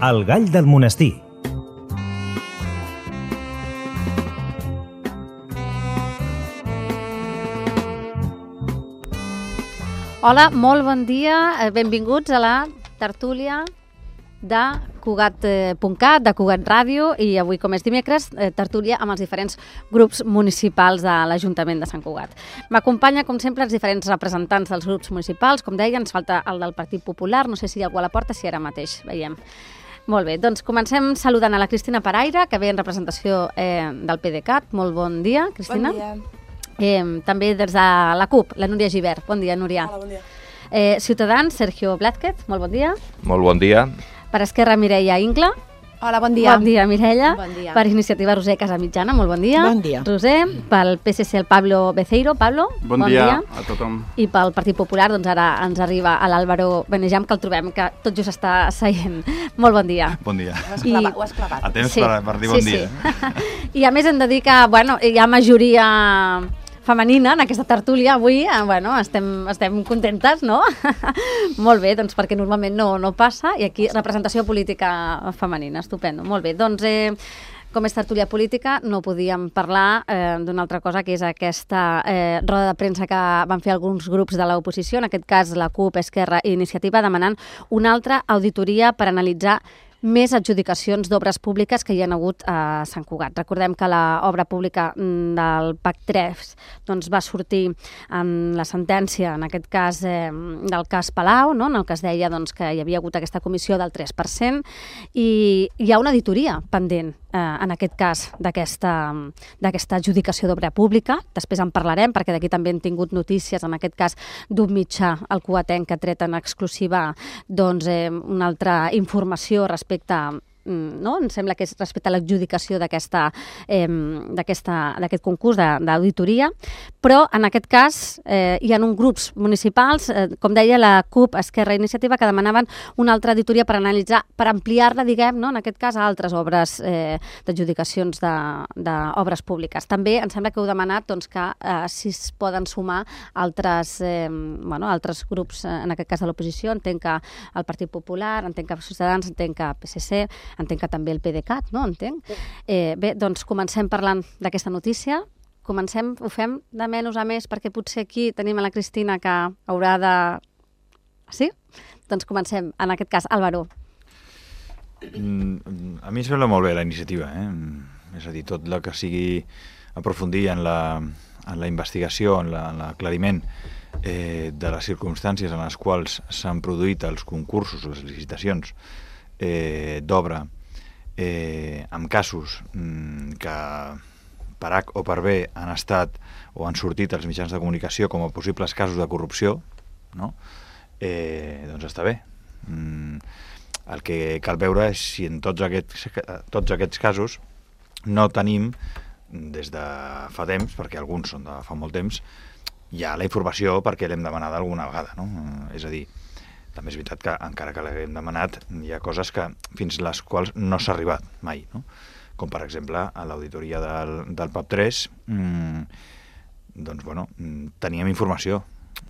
El gall del monestir. Hola, molt bon dia, benvinguts a la tertúlia de Cugat.cat, de Cugat Ràdio, i avui, com és dimecres, tertúlia amb els diferents grups municipals de l'Ajuntament de Sant Cugat. M'acompanya, com sempre, els diferents representants dels grups municipals. Com deia, ens falta el del Partit Popular, no sé si hi ha algú a la porta, si ara mateix veiem. Molt bé, doncs comencem saludant a la Cristina Paraire, que ve en representació del PDeCAT. Molt bon dia, Cristina. Bon dia. També des de la CUP, la Núria Gibert. Bon dia, Núria. Hola, bon dia. Ciutadans, Sergio Blázquez. Molt bon dia. Molt bon dia. Per Esquerra, Mireia Ingla. Hola, bon dia. Bon dia, Mireia. Bon dia. Per Iniciativa, Roser Casamitjana. Molt bon dia. Bon dia. Roser. Pel PSC, el Pablo Beceiro. Pablo, bon dia a tothom. I pel Partit Popular, doncs ara ens arriba l'Àlvaro Benejam, que el trobem que tot just està seient. Molt bon dia. Bon dia. Ho has clavat. A temps per dir bon dia. I a més hem de dir que hi ha majoria femenina en aquesta tertúlia avui, estem contentes, no? Molt bé, doncs perquè normalment no passa, i aquí representació política femenina, estupendo. Molt bé, doncs com és tertúlia política no podíem parlar d'una altra cosa, que és aquesta roda de premsa que van fer alguns grups de l'oposició, en aquest cas la CUP, Esquerra i Iniciativa, demanant una altra auditoria per analitzar més adjudicacions d'obres públiques que hi ha hagut a Sant Cugat. Recordem que l'obra pública del PAC3 doncs, va sortir en la sentència, en aquest cas del cas Palau, no? En el que es deia doncs, que hi havia hagut aquesta comissió del 3%, i hi ha una auditoria pendent, en aquest cas, d'aquesta adjudicació d'obra pública. Després en parlarem, perquè d'aquí també hem tingut notícies, en aquest cas d'un mitjà, el cugatenc, que ha tret en exclusiva doncs, una altra informació respecte no? Em sembla que és respecte a l'adjudicació d'aquest concurs d'auditoria, però en aquest cas hi ha uns grups municipals, com deia la CUP, Esquerra i Iniciativa, que demanaven una altra auditoria per analitzar, per ampliar-la, diguem, no? En aquest cas a altres obres d'adjudicacions d'obres públiques. També em sembla que heu demanat doncs, que si es poden sumar altres grups, en aquest cas de l'oposició, entenc que el Partit Popular, entenc que Ciutadans, entenc que PSC, entenc que també el PDeCAT, no? Entenc. Bé, doncs comencem parlant d'aquesta notícia. Comencem, ho fem de menys a més, perquè potser aquí tenim a la Cristina que haurà de... Sí? Doncs comencem, en aquest cas, Álvaro. A mi em sembla molt bé la iniciativa, És a dir, tot el que sigui aprofundir en la investigació, en l'aclariment de les circumstàncies en les quals s'han produït els concursos, les licitacions d'obra, amb casos que per H o per B han estat o han sortit als mitjans de comunicació com a possibles casos de corrupció, no? Doncs està bé. El que cal veure és si en tots aquests casos no tenim, des de fa temps, perquè alguns són de fa molt temps, ja la informació perquè l'hem demanada alguna vegada, no? És a dir, també és veritat que encara que l'hem demanat hi ha coses que fins les quals no s'ha arribat mai, no? Com per exemple a l'auditoria del PAP3 doncs bueno, teníem informació,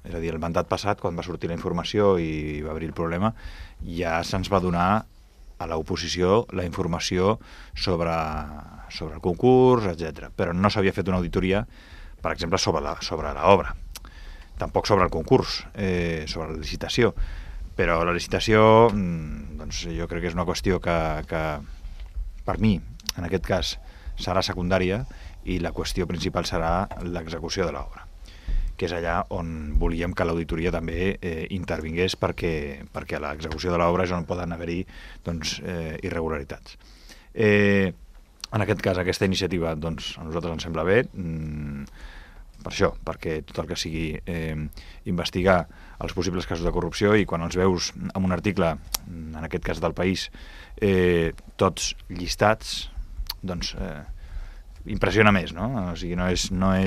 és a dir, el mandat passat, quan va sortir la informació i va haver el problema, ja se'ns va donar a l'oposició la informació sobre el concurs, etc. Però no s'havia fet una auditoria, per exemple, sobre l'obra, tampoc sobre el concurs, sobre la licitació. Però la licitació, doncs, jo crec que és una qüestió que per mi, en aquest cas, serà secundària, i la qüestió principal serà l'execució de l'obra, que és allà on volíem que l'auditoria també intervingués, perquè a l'execució de l'obra és on poden haver-hi doncs, irregularitats. En aquest cas, aquesta iniciativa doncs, a nosaltres ens sembla bé, per això, perquè tot el que sigui investigar els possibles casos de corrupció, i quan els veus en un article, en aquest cas del País, tots llistats, doncs impressiona més, no? O sigui, és una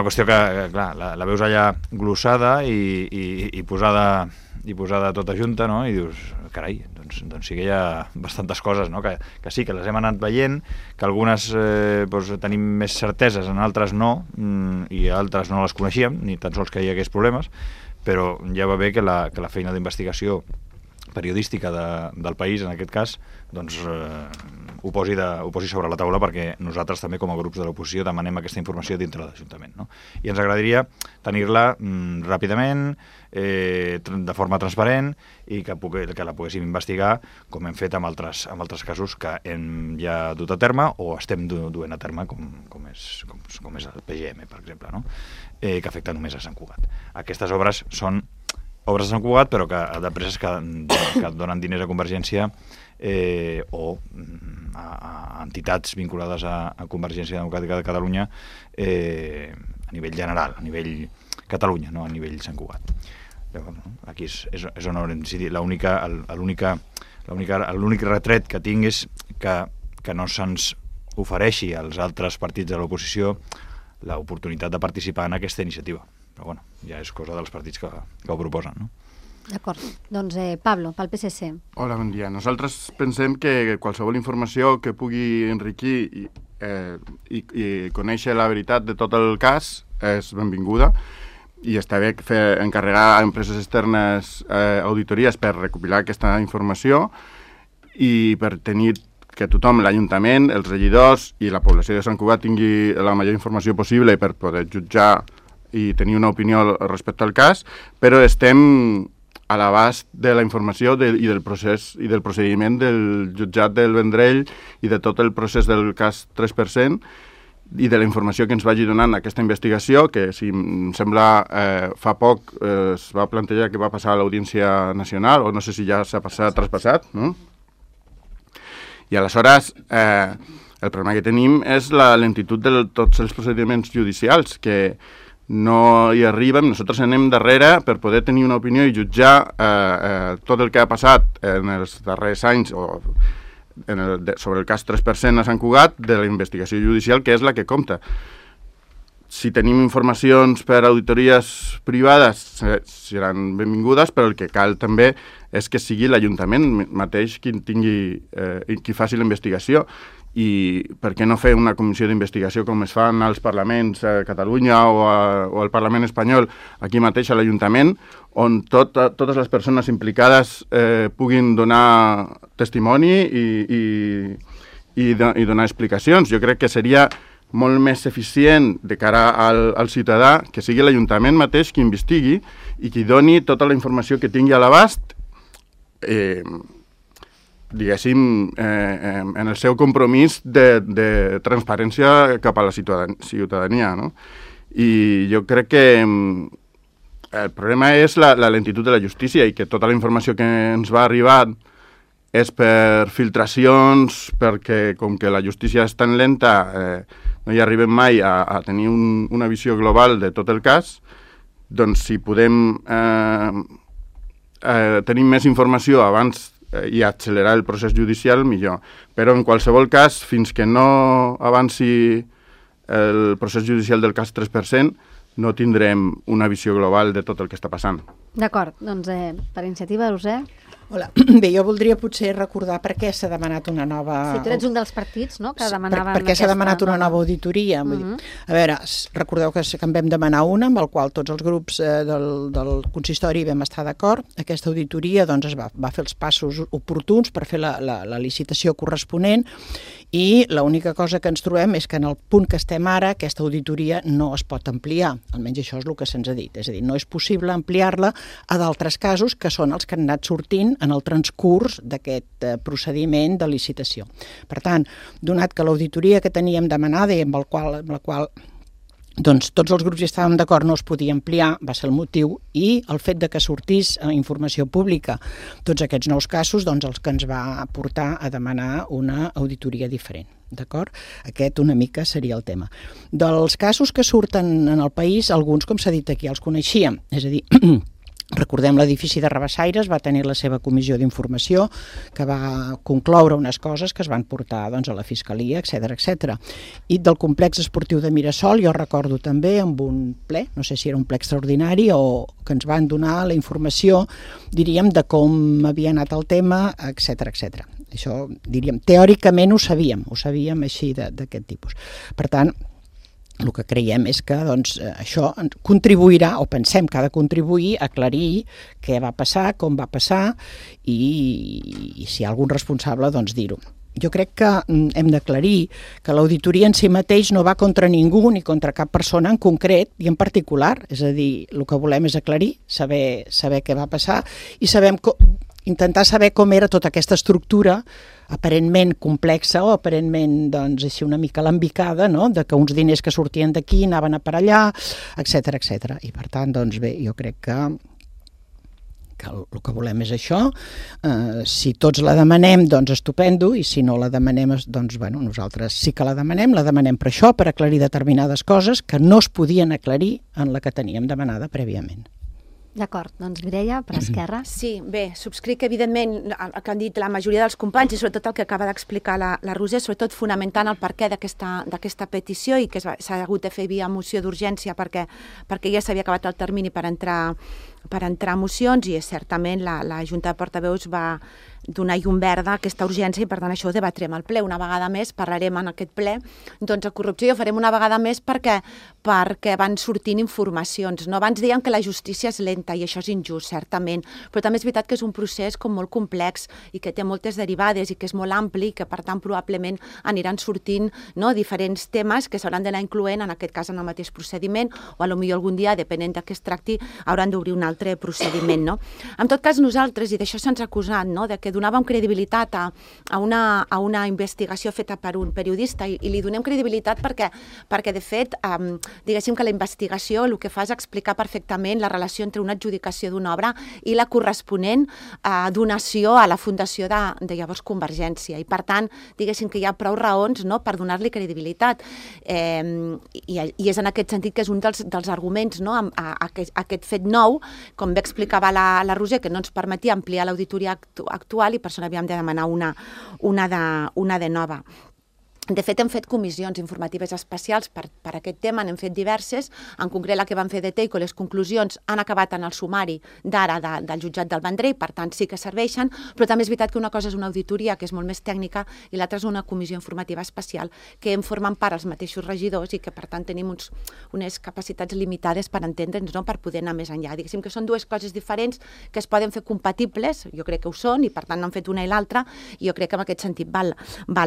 qüestió que, clar, la veus allà glossada i posada tota junta, no? I dius, carai, doncs sí que hi ha bastantes coses, no? Que sí, que les hem anat veient, que algunes tenim més certeses, en altres no, i altres no les coneixíem, ni tan sols que hi hagués problemes, però ja va bé que la feina d'investigació periodística del país, en aquest cas, doncs ho posi sobre la taula, perquè nosaltres també com a grups de l'oposició demanem aquesta informació dintre de l'Ajuntament, no? I ens agradaria tenir-la ràpidament, de forma transparent, i que la poguéssim investigar, com hem fet amb altres casos que hem ja dut a terme o estem duent a terme, com és el PGM, per exemple, no? Que afecta només a Sant Cugat. Aquestes obres són obres de Sant Cugat, però que d'empreses que donen diners a Convergència o a entitats vinculades a Convergència Democràtica de Catalunya a nivell general, a nivell Catalunya, no a nivell Sant Cugat. Aquí és on haurem decidit. L'únic retret que tinc és que no se'ns ofereixi als altres partits de l'oposició l'oportunitat de participar en aquesta iniciativa. Però bueno, ja és cosa dels partits que ho proposen, no? D'acord. Doncs Pablo, pel PSC. Hola, bon dia. Nosaltres pensem que qualsevol informació que pugui enriquir i conèixer la veritat de tot el cas és benvinguda, i està bé encarregar a empreses externes auditories per recopilar aquesta informació i per tenir que tothom, l'Ajuntament, els regidors i la població de Sant Cugat tingui la major informació possible per poder jutjar i tenir una opinió respecte al cas, però estem a l'abast de la informació i del procediment del jutjat del Vendrell i de tot el procés del cas 3% i de la informació que ens vagi donant aquesta investigació, que si em sembla fa poc es va plantejar que va passar a l'Audiència Nacional, o no sé si ja s'ha traspassat, no? I aleshores el problema que tenim és la lentitud de tots els procediments judicials, que no hi arribem, nosaltres anem darrere per poder tenir una opinió i jutjar tot el que ha passat en els darrers anys sobre el cas 3% a Sant Cugat de la investigació judicial, que és la que compta. Si tenim informacions per auditories privades seran benvingudes, però el que cal també és que sigui l'Ajuntament mateix qui faci la investigació. I per què no fer una comissió d'investigació com es fan als parlaments a Catalunya o al Parlament espanyol, aquí mateix a l'Ajuntament, on totes les persones implicades puguin donar testimoni i donar explicacions. Jo crec que seria molt més eficient de cara al ciutadà que sigui l'Ajuntament mateix qui investigui i qui doni tota la informació que tingui a l'abast, diguéssim, en el seu compromís de transparència cap a la ciutadania, no? I jo crec que el problema és la lentitud de la justícia i que tota la informació que ens va arribar és per filtracions, perquè com que la justícia és tan lenta no hi arribem mai a tenir una visió global de tot el cas, doncs si podem tenir més informació abans i accelerar el procés judicial, millor. Però en qualsevol cas, fins que no avanci el procés judicial del cas 3%, no tindrem una visió global de tot el que està passant. D'acord, doncs per iniciativa, Roser. Hola. Bé, jo voldria potser recordar per què s'ha demanat una nova... Si tu ets un dels partits, no?, que demanaven... Per què s'ha demanat una nova auditoria? Vull dir, a veure, recordeu que en vam demanar una, amb el qual tots els grups del consistori vam estar d'acord. Aquesta auditoria doncs, es va fer els passos oportuns per fer la licitació corresponent, i l'única cosa que ens trobem és que en el punt que estem ara aquesta auditoria no es pot ampliar, almenys això és el que se'ns ha dit, és a dir, no és possible ampliar-la a d'altres casos que són els que han anat sortint en el transcurs d'aquest procediment de licitació. Per tant, donat que l'auditoria que teníem demanada i amb la qual doncs, tots els grups hi estàvem d'acord, no es podia ampliar, va ser el motiu, i el fet de que sortís a informació pública tots aquests nous casos, doncs els que ens va portar a demanar una auditoria diferent. D'acord? Aquest una mica seria el tema. Dels casos que surten en el país, alguns, com s'ha dit aquí, els coneixíem, és a dir... Recordem l'edifici de Rabassaires va tenir la seva comissió d'informació que va concloure unes coses que es van portar doncs, a la Fiscalia, etc. I del complex esportiu de Mirasol jo recordo també amb un ple, no sé si era un ple extraordinari o que ens van donar la informació, diríem, de com havia anat el tema, etc. Això, diríem, teòricament ho sabíem així d'aquest tipus. Per tant, el que creiem és que això contribuirà, o pensem que ha de contribuir a aclarir què va passar, com va passar i si hi ha algun responsable, dir-ho. Jo crec que hem d'aclarir que l'auditoria en si mateix no va contra ningú ni contra cap persona en concret i en particular. És a dir, el que volem és aclarir, saber què va passar i intentar saber com era tota aquesta estructura aparentment complexa o aparentment així una mica alambicada, no? De que uns diners que sortien d'aquí anaven a per allà, etc etc. I per tant, bé, jo crec que el que volem és això. Si tots la demanem, estupendo, i si no la demanem, nosaltres sí que la demanem per això, per aclarir determinades coses que no es podien aclarir en la que teníem demanada prèviament. D'acord, Mireia, per Esquerra. Sí, bé, subscric evidentment el que han dit la majoria dels companys i sobretot el que acaba d'explicar la Roser, sobretot fonamentant el perquè d'aquesta petició i que s'ha hagut de fer via moció d'urgència perquè ja s'havia acabat el termini per entrar a mocions i certament la Junta de Portaveus va donar llum verda a aquesta urgència i per tant això ho debatrem al ple. Una vegada més parlarem en aquest ple de corrupció i ho farem una vegada més perquè van sortint informacions. No? Abans dèiem que la justícia és lenta i això és injust, certament, però també és veritat que és un procés molt complex i que té moltes derivades i que és molt ampli i que per tant probablement aniran sortint diferents temes que s'hauran d'anar incloent en aquest cas en el mateix procediment o potser algun dia, depenent de què es tracti, hauran d'obrir un altre procediment. No? En tot cas, nosaltres, i d'això se'ns ha acusat, de que donàvem credibilitat a una investigació feta per un periodista i li donem credibilitat perquè de fet, diguéssim que la investigació el que fa és explicar perfectament la relació entre una adjudicació d'una obra i la corresponent donació a la fundació de llavors Convergència. I per tant, diguéssim que hi ha prou raons per donar-li credibilitat. I és en aquest sentit que és un dels arguments a aquest fet nou, com bé explicava la Roser, que no ens permetia ampliar l'auditoria actual i per això n'havíem de demanar una de nova. De fet, hem fet comissions informatives especials per aquest tema, n'hem fet diverses, en concret la que van fer de Teico, les conclusions han acabat en el sumari d'ara del jutjat del Vendrell, per tant sí que serveixen, però també és veritat que una cosa és una auditoria, que és molt més tècnica, i l'altra és una comissió informativa especial, que en formen part els mateixos regidors i que per tant tenim unes capacitats limitades per entendre'ns, per poder anar més enllà. Diguéssim que són dues coses diferents que es poden fer compatibles, jo crec que ho són, i per tant n'han fet una i l'altra, i jo crec que en aquest sentit val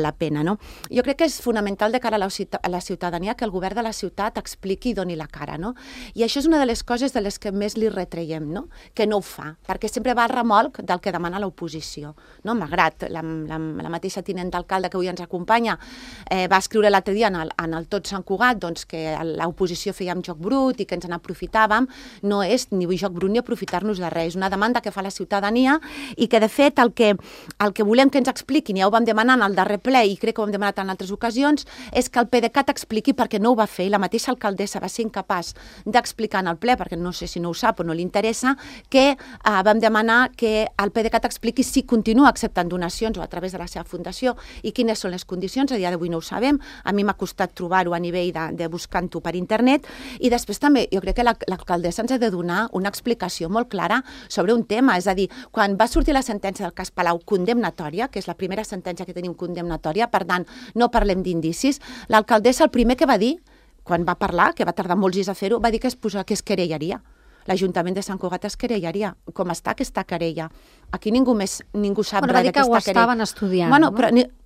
la pena. No? Jo crec que és fonamental de cara a la ciutadania que el govern de la ciutat expliqui i doni la cara, no? I això és una de les coses de les que més li retreiem, no? Que no ho fa, perquè sempre va al remolc del que demana l'oposició, no? Malgrat la mateixa tinent d'alcalde que avui ens acompanya va escriure l'altre dia en el Tot Sant Cugat que l'oposició fèiem joc brut i que ens n'aprofitàvem, no és ni joc brut ni aprofitar-nos de res, és una demanda que fa la ciutadania i que de fet el que volem que ens expliquin, ja ho vam demanar en el darrer ple i crec que ho hem demanat en altres ocasions, és que el PDeCAT expliqui perquè no ho va fer i la mateixa alcaldessa va ser incapaç d'explicar en el ple, perquè no sé si no ho sap o no li interessa, que vam demanar que el PDeCAT expliqui si continua acceptant donacions o a través de la seva fundació i quines són les condicions, a dia d'avui no ho sabem, a mi m'ha costat trobar-ho a nivell de buscant-ho per internet i després també jo crec que l'alcaldessa ens ha de donar una explicació molt clara sobre un tema, és a dir, quan va sortir la sentència del cas Palau condemnatòria, que és la primera sentència que tenim condemnatòria, per tant, no parlem d'indicis, l'alcaldessa el primer que va dir, quan va parlar, que va tardar molts dies a fer-ho, va dir que es querellaria. L'Ajuntament de Sant Cugat es querellaria. Com està aquesta querella? Aquí ningú sap res d'aquesta querella. Va dir que ho estaven estudiant. Bueno,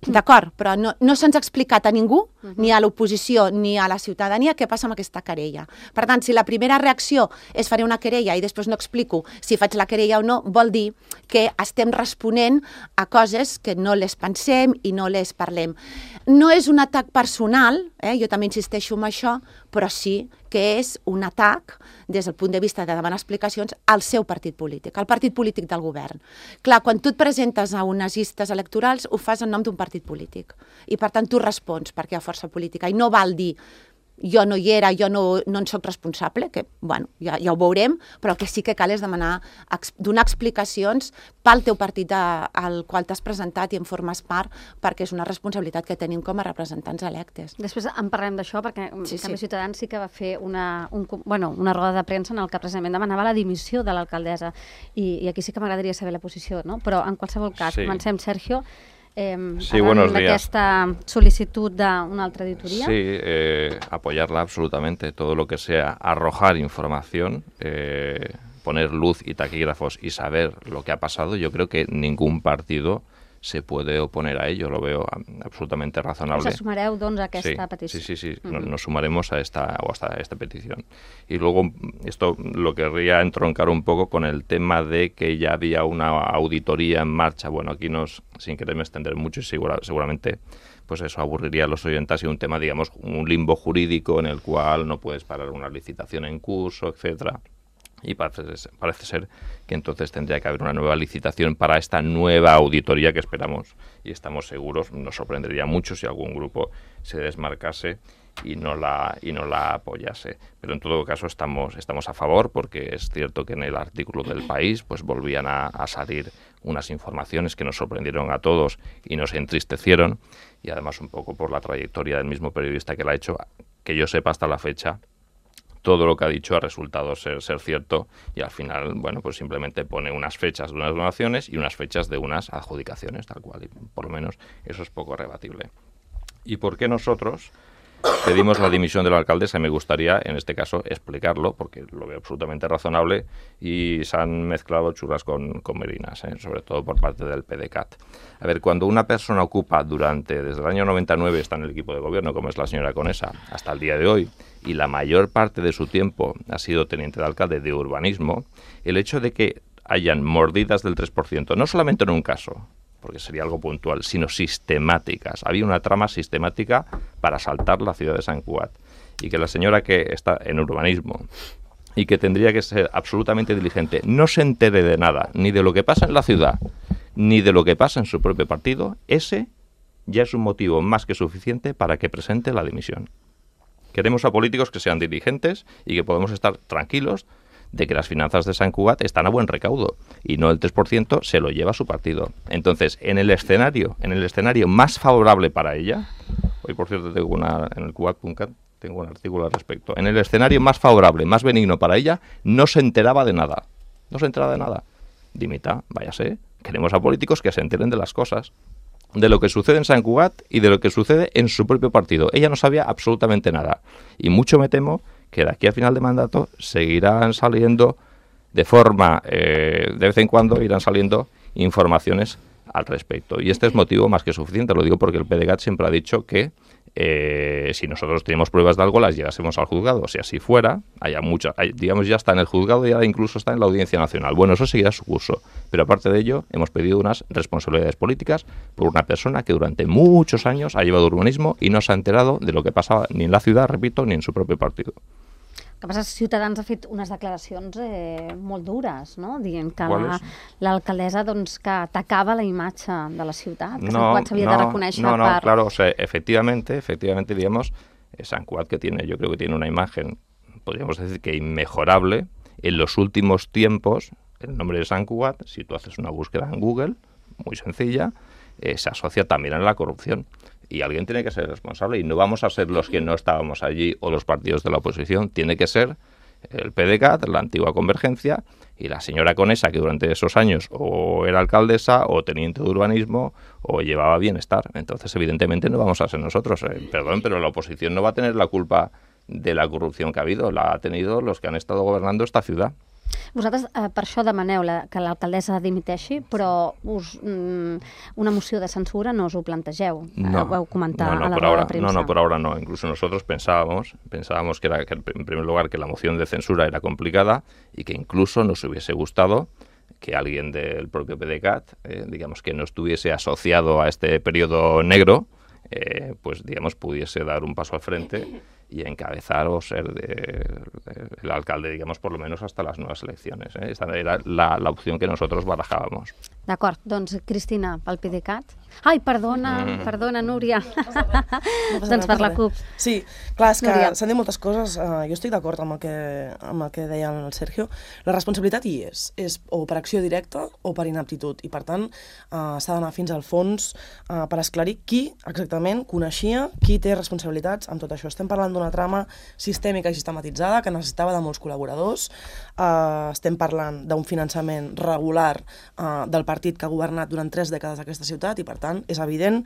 d'acord, però no se'ns ha explicat a ningú, ni a l'oposició ni a la ciutadania, què passa amb aquesta querella. Per tant, si la primera reacció és faré una querella i després no explico si faig la querella o no, vol dir que estem responent a coses que no les pensem i no les parlem. No és un atac personal, jo també insisteixo en això, però sí que és un atac des del punt de vista de demanar explicacions al seu partit polític, al partit polític del govern. Clar, quan tu et presentes a unes llistes electorals ho fas en nom d'un partit polític i per tant tu respons perquè hi ha força política i no val dir jo no hi era, jo no en soc responsable, que bueno, ja ho veurem, però el que sí que cal és donar explicacions pel teu partit al qual t'has presentat i en formes part, perquè és una responsabilitat que tenim com a representants electes. Després en parlem d'això, perquè també Ciutadans sí que va fer una roda de premsa en el que precisament demanava la dimissió de l'alcaldessa, i aquí sí que m'agradaria saber la posició, no? Però en qualsevol cas, comencem, Sergio. Sí, buenos días. D'aquesta sol·licitud d'una altra auditoria? Sí, apoyarla absolutamente. Todo lo que sea arrojar información, poner luz y taquígrafos y saber lo que ha pasado, yo creo que ningún partido se puede oponer a ello, lo veo absolutamente razonable. Us sumareu, doncs, a aquesta petició? Sí. Nos sumaremos a esta petición. Y luego, esto lo querría entroncar un poco con el tema de que ya había una auditoría en marcha. Bueno, aquí sin quererme extender mucho, y seguramente pues eso aburriría a los oyentes, y un tema, digamos, un limbo jurídico en el cual no puedes parar una licitación en curso, etcétera. Y parece ser que entonces tendría que haber una nueva licitación para esta nueva auditoría que esperamos y estamos seguros. Nos sorprendería mucho si algún grupo se desmarcase y no la apoyase. Pero en todo caso estamos a favor, porque es cierto que en el artículo del País pues volvían a salir unas informaciones que nos sorprendieron a todos y nos entristecieron, y además un poco por la trayectoria del mismo periodista que la ha hecho, que yo sepa hasta la fecha, todo lo que ha dicho ha resultado ser cierto, y al final, bueno, pues simplemente pone unas fechas de unas donaciones y unas fechas de unas adjudicaciones, tal cual, y por lo menos eso es poco rebatible. ¿Y por qué nosotros pedimos la dimisión de la alcaldesa? Me gustaría, en este caso, explicarlo, porque lo veo absolutamente razonable, y se han mezclado churras con merinas, sobre todo por parte del PDeCAT. A ver, cuando una persona ocupa desde el año 99, está en el equipo de gobierno, como es la señora Conesa, hasta el día de hoy, y la mayor parte de su tiempo ha sido teniente de alcalde de urbanismo, el hecho de que hayan mordidas del 3%, no solamente en un caso, porque sería algo puntual, sino sistemáticas. Había una trama sistemática para asaltar la ciudad de Sant Cugat, y que la señora que está en urbanismo y que tendría que ser absolutamente diligente no se entere de nada, ni de lo que pasa en la ciudad, ni de lo que pasa en su propio partido, ese ya es un motivo más que suficiente para que presente la dimisión. Queremos a políticos que sean diligentes y que podamos estar tranquilos de que las finanzas de Sant Cugat están a buen recaudo, y no el 3% se lo lleva su partido. Entonces, en el escenario más favorable para ella, hoy por cierto en el Cugat.cat tengo un artículo al respecto, en el escenario más favorable, más benigno para ella, no se enteraba de nada. Dimita, váyase. Queremos a políticos que se enteren de las cosas, de lo que sucede en Sant Cugat y de lo que sucede en su propio partido. Ella no sabía absolutamente nada, y mucho me temo que de aquí a final de mandato seguirán saliendo de forma, de vez en cuando irán saliendo informaciones al respecto. Y este es motivo más que suficiente, lo digo porque el PDeCAT siempre ha dicho que si nosotros tenemos pruebas de algo, las llevásemos al juzgado. Si así fuera, digamos, ya está en el juzgado y ahora incluso está en la Audiencia Nacional. Bueno, eso seguirá su curso. Pero aparte de ello, hemos pedido unas responsabilidades políticas por una persona que durante muchos años ha llevado urbanismo y no se ha enterado de lo que pasaba ni en la ciudad, repito, ni en su propio partido. El que passa és que Ciutadans ha fet unes declaracions molt dures, no? Dient que l'alcaldessa que atacava la imatge de la ciutat, que Sant Cugat s'havia de reconèixer per... Claro, o sea, efectivamente, digamos, Sant Cugat yo creo que tiene una imagen, podríamos decir que inmejorable. En los últimos tiempos, el nombre de Sant Cugat, si tú haces una búsqueda en Google, muy sencilla, se asocia también a la corrupción. Y alguien tiene que ser responsable, y no vamos a ser los que no estábamos allí o los partidos de la oposición. Tiene que ser el PDeCAT, la antigua Convergencia, y la señora Conesa, que durante esos años o era alcaldesa o teniente de urbanismo o llevaba bienestar. Entonces, evidentemente, no vamos a ser nosotros. Perdón, pero la oposición no va a tener la culpa de la corrupción que ha habido. La ha tenido los que han estado gobernando esta ciudad. Vosaltres per això demaneu que l'alcaldessa dimiteixi, però una moció de censura no us ho plantegeu. No, ho vau comentar a la roda roda de premsa. No, por ahora no. Incluso nosotros pensábamos que en primer lugar, que la moción de censura era complicada y que incluso nos hubiese gustado que alguien del propio PDeCAT, digamos, que no estuviese asociado a este periodo negro, pues digamos, pudiese dar un paso al frente y encabezar o ser el alcalde, digamos, por lo menos hasta las nuevas elecciones. Esta era la opción que nosotros barajábamos. D'acord, doncs Cristina, pel PDeCAT. Ai, perdona, Núria. Doncs per la CUP. Sí, clar, és que s'han dit moltes coses. Jo estic d'acord amb el que deia el Sergio. La responsabilitat hi és o per acció directa o per inaptitud, i per tant s'ha d'anar fins al fons per esclarir qui exactament coneixia, qui té responsabilitats amb tot això. Estem parlant d'una trama sistèmica i sistematitzada que necessitava de molts col·laboradors. Estem parlant d'un finançament regular del partit que ha governat durant 3 dècades aquesta ciutat i, per tant, és evident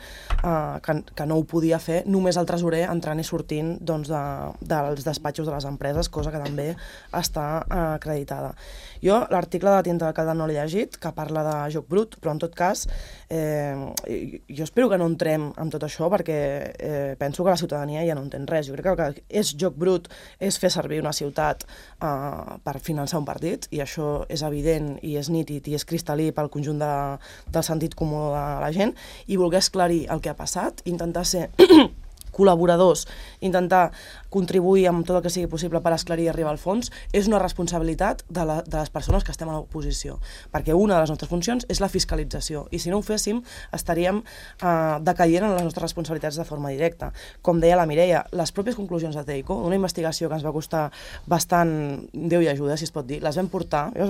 que no ho podia fer només el tresorer entrant i sortint doncs, dels despatxos de les empreses, cosa que també està acreditada. Jo l'article de Tinta d'Alcalde no l'he llegit, que parla de joc brut, però en tot cas jo espero que no entrem en tot això perquè penso que la ciutadania ja no entén res. Jo crec que és joc brut, és fer servir una ciutat per finançar un partit, i això és evident i és nítid i és cristal·lí pel conjunt del sentit comú de la gent, i voler esclarir el que ha passat, intentar ser col·laboradors, intentar contribuir amb tot el que sigui possible per esclarir i arribar al fons, és una responsabilitat de les persones que estem a l'oposició, perquè una de les nostres funcions és la fiscalització, i si no ho féssim estaríem decaient en les nostres responsabilitats de forma directa. Com deia la Mireia, les pròpies conclusions de TEICO, una investigació que ens va costar bastant, Déu i ajuda, si es pot dir, jo les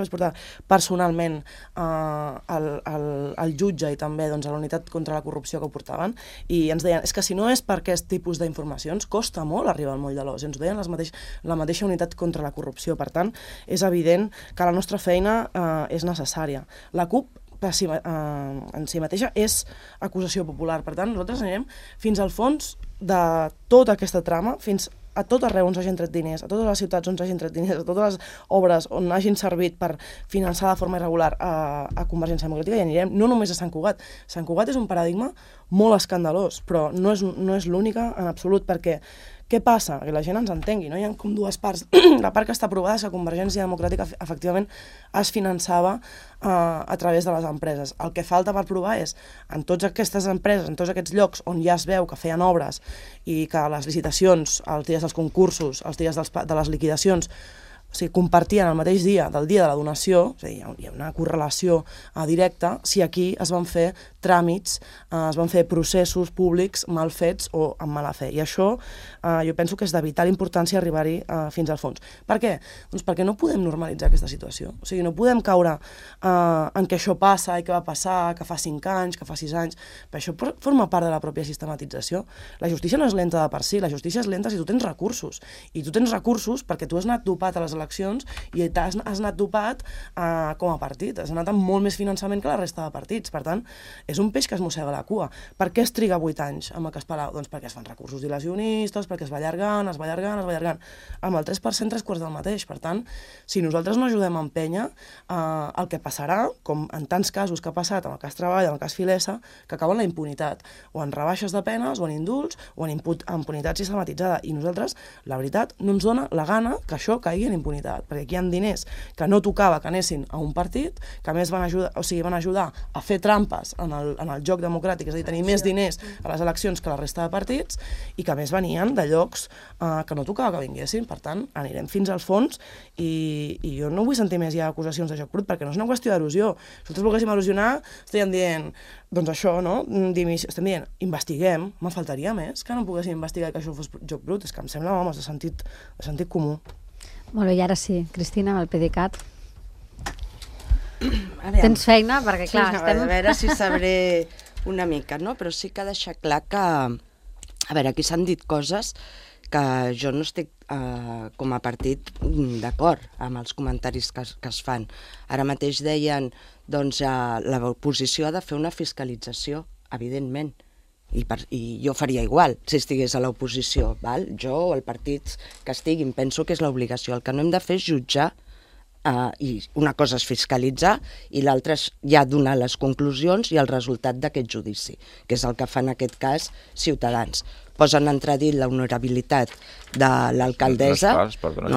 vaig portar personalment al jutge i també a la unitat contra la corrupció que ho portaven, i ens deien, és que si no és per aquest tipus d'informacions, costa molt arribar al moll de l'os. Ens ho deien la mateixa unitat contra la corrupció. Per tant, és evident que la nostra feina és necessària. La CUP en si mateixa és acusació popular. Per tant, nosaltres anirem fins al fons de tota aquesta trama, fins a tot arreu on s'hagin tret diners, a totes les ciutats on s'hagin tret diners, a totes les obres on hagin servit per finançar de forma irregular a Convergència Democràtica, i anirem no només a Sant Cugat. Sant Cugat és un paradigma molt escandalós, però no és l'única en absolut, perquè què passa? Que la gent ens entengui, no? Hi ha com dues parts. La part que està aprovada és que Convergència Democràtica efectivament es finançava a través de les empreses. El que falta per provar és, en totes aquestes empreses, en tots aquests llocs on ja es veu que feien obres i que les licitacions, els dies dels concursos, els dies de les liquidacions, compartien el mateix dia del dia de la donació, és a dir, hi ha una correlació directa, si aquí es van fer tràmits, es van fer processos públics mal fets o amb mala fe. I això jo penso que és de vital importància arribar-hi fins al fons. Per què? Doncs perquè no podem normalitzar aquesta situació. O sigui, no podem caure en què això passa i què va passar, que fa 5 anys, que fa 6 anys. Però això forma part de la pròpia sistematització. La justícia no és lenta de per si, la justícia és lenta si tu tens recursos. I tu tens recursos perquè tu has anat dopat a les eleccions i has anat dopat com a partit. Has anat amb molt més finançament que la resta de partits. Per tant, és un peix que es mossega la cua. Per què es triga 8 anys amb el cas Palau? Doncs perquè es fan recursos dilacionistes, perquè es va allargant. Amb el 3%, 3/4 del mateix. Per tant, si nosaltres no ajudem a empènyer, el que passarà, com en tants casos que ha passat amb el cas Treball, amb el cas Filesa, que acaba en la impunitat, o en rebaixes de penes, o en indults, o en impunitat sistematitzada. I nosaltres, la veritat, no ens dona la gana que això caigui en impunitat, perquè aquí hi ha diners que no tocava que anessin a un partit, que a més van ajudar a fer trampes en el joc democràtic, és a dir, tenir més diners a les eleccions que la resta de partits, i que a més venien de llocs que no tocava que vinguessin. Per tant, anirem fins al fons, i jo no vull sentir més ja acusacions de joc brut, perquè no és una qüestió d'erosió. Si nosaltres volguéssim erosionar, estaríem dient, doncs això, no? Estem dient, investiguem, me faltaria més que no poguéssim investigar que això fos joc brut. És que em sembla, vamos, de sentit comú. Molt bé, i ara sí, Cristina, amb el PDeCAT. Tens feina? Perquè, clar, estem... A veure si sabré una mica, no? Però sí que ha deixat clar que... A veure, aquí s'han dit coses que jo no estic com a partit d'acord amb els comentaris que es fan. Ara mateix deien, doncs, l'oposició ha de fer una fiscalització, evidentment, i jo faria igual si estigués a l'oposició, val? Jo o el partit que estiguin, penso que és l'obligació. El que no hem de fer és jutjar, i una cosa és fiscalitzar i l'altra és ja donar les conclusions i el resultat d'aquest judici, que és el que fa en aquest cas Ciutadans. Posen en entredit l'honorabilitat de l'alcaldessa. No és fals, perdona, que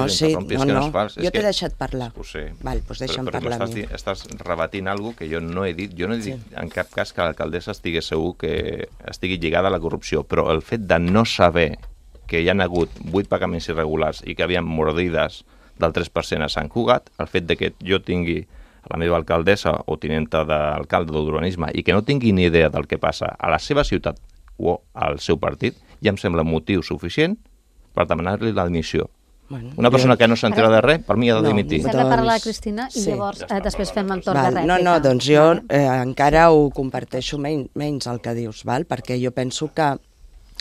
no és fals. Jo t'he deixat parlar. Ho sé. Val, doncs deixa'm parlar a mi. Estàs rebatint alguna que jo no he dit. Jo no he dit en cap cas que l'alcaldessa estigui segur que estigui lligada a la corrupció, però el fet de no saber que hi ha hagut 8 pagaments irregulars i que hi havia mordides del 3% a Sant Cugat, el fet de que jo tingui la meva alcaldessa o tinenta d'alcalde d'urbanisme i que no tingui ni idea del que passa a la seva ciutat o al seu partit, ja em sembla motiu suficient per demanar-li l'admissió. Una persona que no s'entera de res, per mi ha de dimitir. S'ha de parlar, Cristina, i llavors després fem el torn de rèplica. No, doncs jo encara ho comparteixo menys el que dius, perquè jo penso que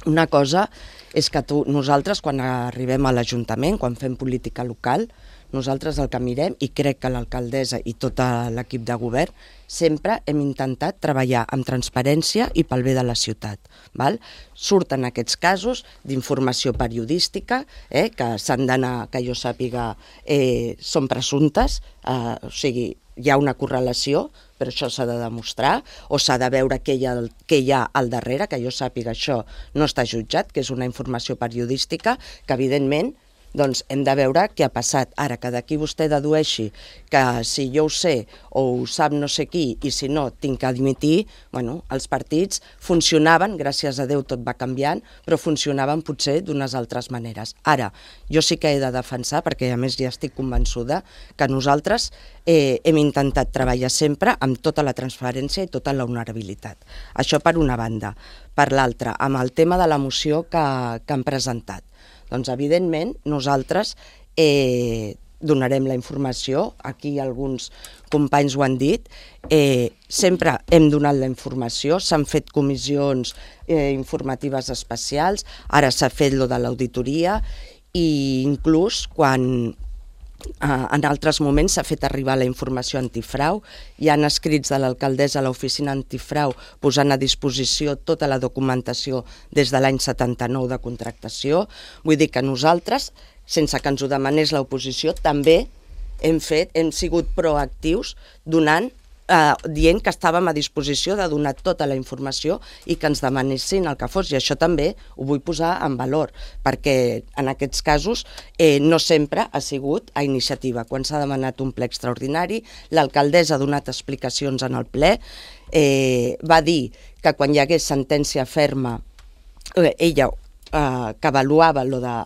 Una cosa és que nosaltres, quan arribem a l'Ajuntament, quan fem política local, nosaltres el que mirem, i crec que l'alcaldessa i tot l'equip de govern, sempre hem intentat treballar amb transparència i pel bé de la ciutat. Val? Surten aquests casos d'informació periodística, que s'han d'anar, que jo sàpiga, són presumptes, o sigui, hi ha una correlació, però això s'ha de demostrar, o s'ha de veure què hi ha al darrere, que jo sàpiga això no està jutjat, que és una informació periodística, que evidentment doncs hem de veure què ha passat. Ara, que d'aquí vostè dedueixi que si jo ho sé o ho sap no sé qui i si no tinc que admitir, bueno, els partits funcionaven, gràcies a Déu tot va canviant, però funcionaven potser d'unes altres maneres. Ara, jo sí que he de defensar, perquè a més ja estic convençuda, que nosaltres hem intentat treballar sempre amb tota la transparència i tota la honorabilitat. Això per una banda. Per l'altra, amb el tema de la moció que han presentat. Doncs, evidentment, nosaltres donarem la informació, aquí alguns companys ho han dit, sempre hem donat la informació, s'han fet comissions informatives especials, ara s'ha fet lo de l'auditoria i inclús quan en altres moments s'ha fet arribar la informació antifrau, hi ha escrits de l'alcaldessa a l'oficina antifrau posant a disposició tota la documentació des de l'any 79 de contractació. Vull dir que nosaltres, sense que ens ho demanés l'oposició, també hem sigut proactius dient que estàvem a disposició de donar tota la informació i que ens demanessin el que fos, i això també ho vull posar en valor, perquè en aquests casos no sempre ha sigut a iniciativa. Quan s'ha demanat un ple extraordinari, l'alcaldessa ha donat explicacions en el ple, va dir que quan hi hagués sentència ferma, ella que avaluava lo de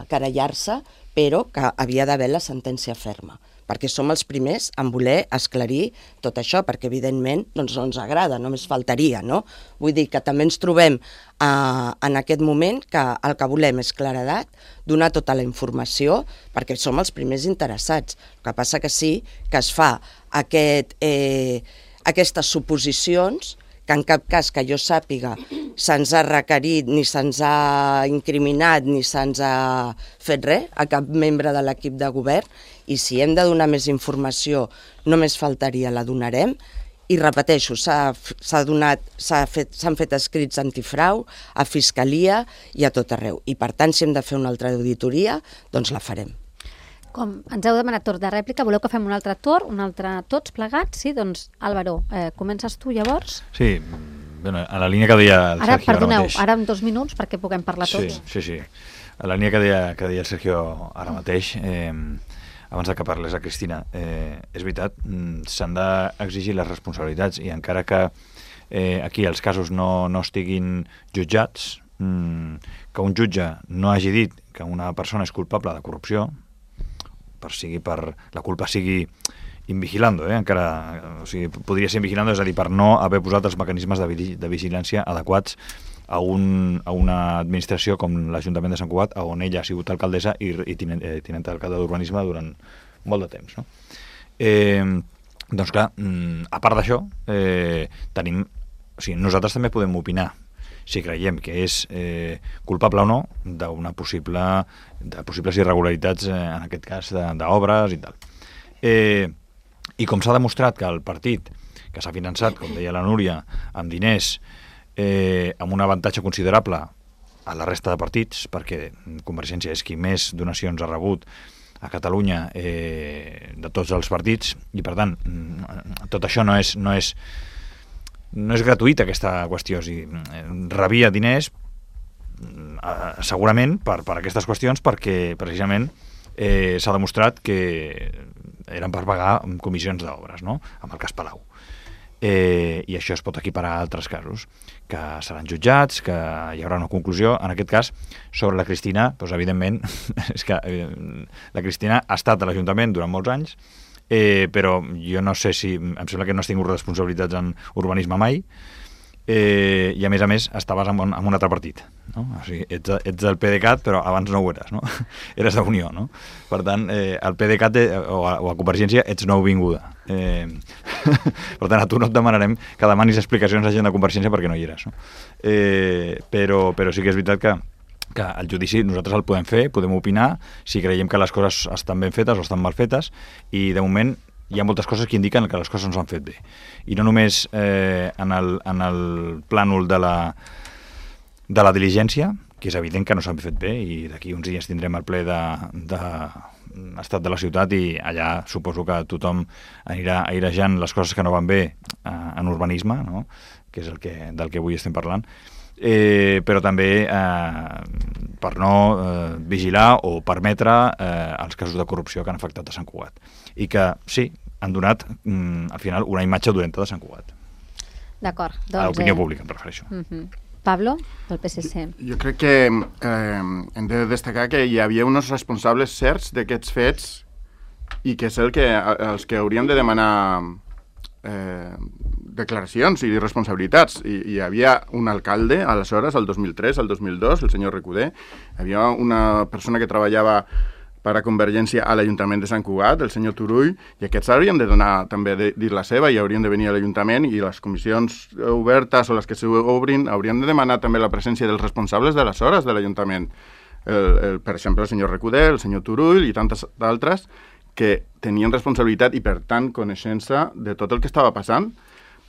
querellar-se, però que havia d'haver la sentència ferma, perquè som els primers en voler esclarir tot això, perquè evidentment doncs, no ens agrada, només faltaria, no? Vull dir que també ens trobem en aquest moment que el que volem és claredat, donar tota la informació, perquè som els primers interessats. El que passa que sí que es fa aquestes suposicions que en cap cas que jo sàpiga se'ns ha requerit, ni se'ns ha incriminat, ni se'ns ha fet res a cap membre de l'equip de govern, i si hem de donar més informació, només faltaria, la donarem. I repeteixo, s'han fet escrits antifrau a Fiscalia i a tot arreu. I per tant, si hem de fer una altra auditoria, doncs la farem. Com ens heu demanat torn de rèplica, voleu que fem un altre torn, un altre tots plegats? Sí, doncs Álvaro, comences tu llavors? Sí, bueno, a la línia que deia el Sergio perdoneu, ara mateix. Ara en 2 minuts perquè puguem parlar tots. Sí. A la línia que deia el Sergio ara mateix, abans que parles a Cristina, és veritat, s'han d'exigir les responsabilitats i encara que aquí els casos no estiguin jutjats, que un jutge no hagi dit que una persona és culpable de corrupció, per la culpa sigui invigilando, encara, o sigui, podria ser invigilando, és a dir, per no haver posat els mecanismes de vigilància adequats a una administració com l'Ajuntament de Sant Cugat, on ella ha sigut alcaldessa i tinent d'alcalde d'urbanisme durant molt de temps. No? Doncs clar, a part d'això, nosaltres també podem opinar si creiem que és culpable o no de possibles irregularitats, en aquest cas d'obres i tal. I com s'ha demostrat que el partit que s'ha finançat, com deia la Núria, amb diners, amb un avantatge considerable a la resta de partits, perquè Convergència és qui més donacions ha rebut a Catalunya de tots els partits, i per tant tot això no és gratuïta, aquesta qüestió. O sigui, rebia diners segurament per aquestes qüestions, perquè precisament s'ha demostrat que eren per pagar comissions d'obres, no? Amb el cas Palau. I això es pot equiparar a altres casos, que seran jutjats, que hi haurà una conclusió. En aquest cas, sobre la Cristina, doncs, evidentment, és que la Cristina ha estat a l'Ajuntament durant molts anys, però jo no sé si... Em sembla que no has tingut responsabilitats en urbanisme mai, i a més estaves en un altre partit, no? O sigui, ets del PDeCAT, però abans no ho eres, no? Eres d'Unió, no? Per tant, al PDeCAT o a Convergència ets nouvinguda. Per tant, a tu no et demanarem que demanis explicacions a gent de Convergència perquè no hi eres. No? Però sí que és veritat que el judici nosaltres el podem fer, podem opinar, si creiem que les coses estan ben fetes o estan mal fetes, i de moment hi ha moltes coses que indiquen que les coses no s'han fet bé. I no només en el plànol de la diligència, que és evident que no s'han fet bé, i d'aquí uns dies tindrem el ple d'estat de la ciutat i allà suposo que tothom anirà airejant les coses que no van bé en urbanisme, no? Que és del que avui estem parlant, però també per no vigilar o permetre els casos de corrupció que han afectat a Sant Cugat. I que, sí, han donat, al final, una imatge dolenta de Sant Cugat. D'acord. A l'opinió pública, em refereixo. Pablo, del PSC. Jo crec que hem de destacar que hi havia uns responsables certs d'aquests fets i que és els que haurien de demanar declaracions i responsabilitats. Hi havia un alcalde, aleshores, el 2003, el 2002, el senyor Recoder, hi havia una persona que treballava per a Convergència a l'Ajuntament de Sant Cugat, el senyor Turull, i aquests haurien de donar també dir la seva i haurien de venir a l'Ajuntament, i les comissions obertes o les que s'obrin haurien de demanar també la presència dels responsables d'aleshores de l'Ajuntament. Per exemple, el senyor Recoder, el senyor Turull i tantes d'altres que tenien responsabilitat i, per tant, coneixença de tot el que estava passant.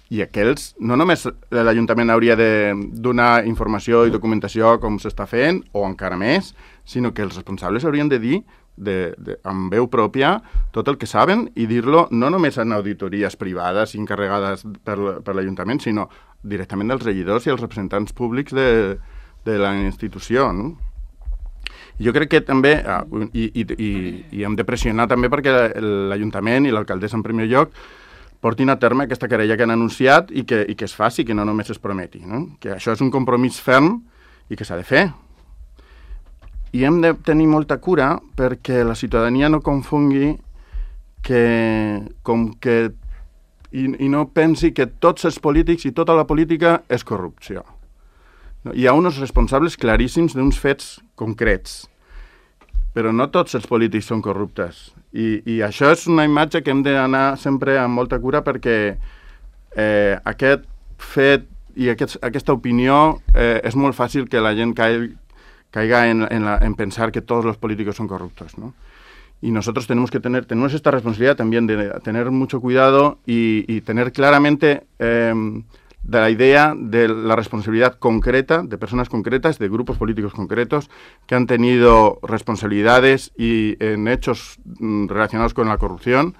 I aquells, no només l'Ajuntament hauria de donar informació i documentació com s'està fent, o encara més, sinó que els responsables haurien de dir amb veu pròpia tot el que saben i dir-lo no només en auditories privades i encarregades per l'Ajuntament, sinó directament dels regidors i els representants públics de la institució, no? Jo crec que també, i hem de pressionar també perquè l'Ajuntament i l'alcaldessa en primer lloc portin a terme aquesta querella que han anunciat i que es faci, que no només es prometi, no? Que això és un compromís ferm i que s'ha de fer. I hem de tenir molta cura perquè la ciutadania no confongui i no pensi que tots els polítics i tota la política és corrupció. Hi ha uns responsables claríssims d'uns fets concrets, però no tots els polítics són corruptes. I això és una imatge que hem d'anar sempre amb molta cura perquè aquest fet i aquesta opinió és molt fàcil que la gent caiga en pensar que todos los políticos son corruptos, ¿no? Y nosotros tenemos esta responsabilidad también de tener mucho cuidado y tener claramente de la idea de la responsabilidad concreta de personas concretas, de grupos políticos concretos que han tenido responsabilidades y en hechos relacionados con la corrupción,